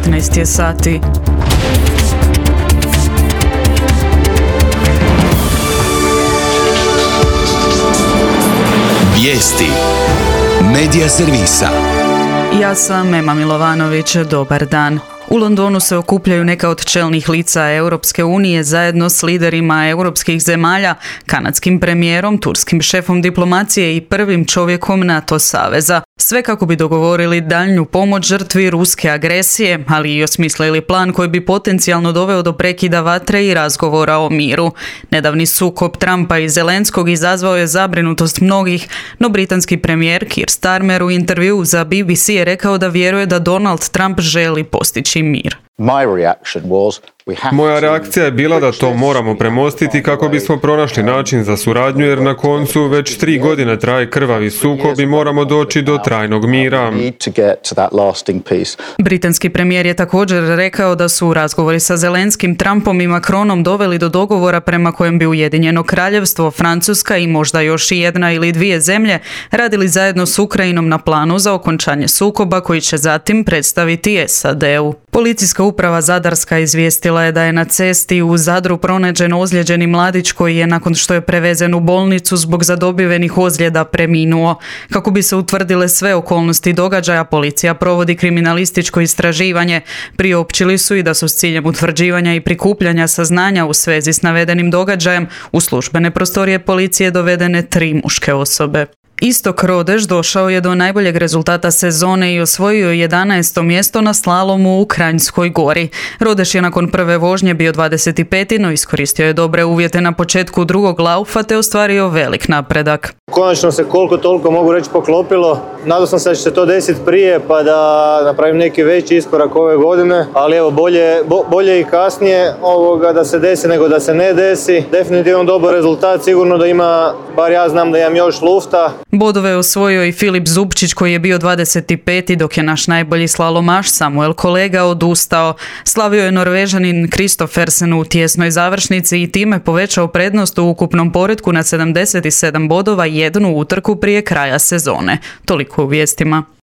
15 je sati. Vijesti Medija servisa. Ja sam Ema Milovanović, dobar dan. U Londonu se okupljaju neka od čelnih lica Europske unije zajedno s liderima europskih zemalja, kanadskim premijerom, turskim šefom diplomacije i prvim čovjekom NATO saveza. Sve kako bi dogovorili daljnju pomoć žrtvi ruske agresije, ali i osmislili plan koji bi potencijalno doveo do prekida vatre i razgovora o miru. Nedavni sukob Trumpa i Zelenskog izazvao je zabrinutost mnogih, no britanski premijer Keir Starmer u intervjuu za BBC je rekao da vjeruje da Donald Trump želi postići mir. Moja reakcija je bila da to moramo premostiti kako bismo pronašli način za suradnju, jer na koncu već 3 godine traje krvavi sukob i moramo doći do trajnog mira. Britanski premijer je također rekao da su razgovori sa Zelenskim, Trumpom i Macronom doveli do dogovora prema kojem bi Ujedinjeno Kraljevstvo, Francuska i možda još i jedna ili dvije zemlje radili zajedno s Ukrajinom na planu za okončanje sukoba koji će zatim predstaviti SAD-u. Policijska uprava Zadarska izvijestila je da je na cesti u Zadru pronađen ozlijeđeni mladić koji je nakon što je prevezen u bolnicu zbog zadobivenih ozljeda preminuo. Kako bi se utvrdile sve okolnosti događaja, policija provodi kriminalističko istraživanje. Priopćili su i da su s ciljem utvrđivanja i prikupljanja saznanja u svezi s navedenim događajem u službene prostorije policije dovedene 3 muške osobe. Istok Rodeš došao je do najboljeg rezultata sezone i osvojio 11. mjesto na slalomu u Kranjskoj Gori. Rodeš je nakon prve vožnje bio 25. no iskoristio je dobre uvjete na početku drugog laufa te ostvario velik napredak. Konačno se koliko toliko mogu reći poklopilo. Nadao sam se da će se to desiti prije pa da napravim neki veći iskorak ove godine, ali evo bolje i kasnije da se desi nego da se ne desi. Definitivno dobar rezultat, sigurno da ima, bar ja znam da imam još lufta. Bodove je osvojio i Filip Zupčić koji je bio 25. dok je naš najbolji slalomaš Samuel Kolega odustao. Slavio je Norvežanin Kristoffersen u tjesnoj završnici i time povećao prednost u ukupnom poretku na 77 bodova, jednu utrku prije kraja sezone. Toliko u vijestima.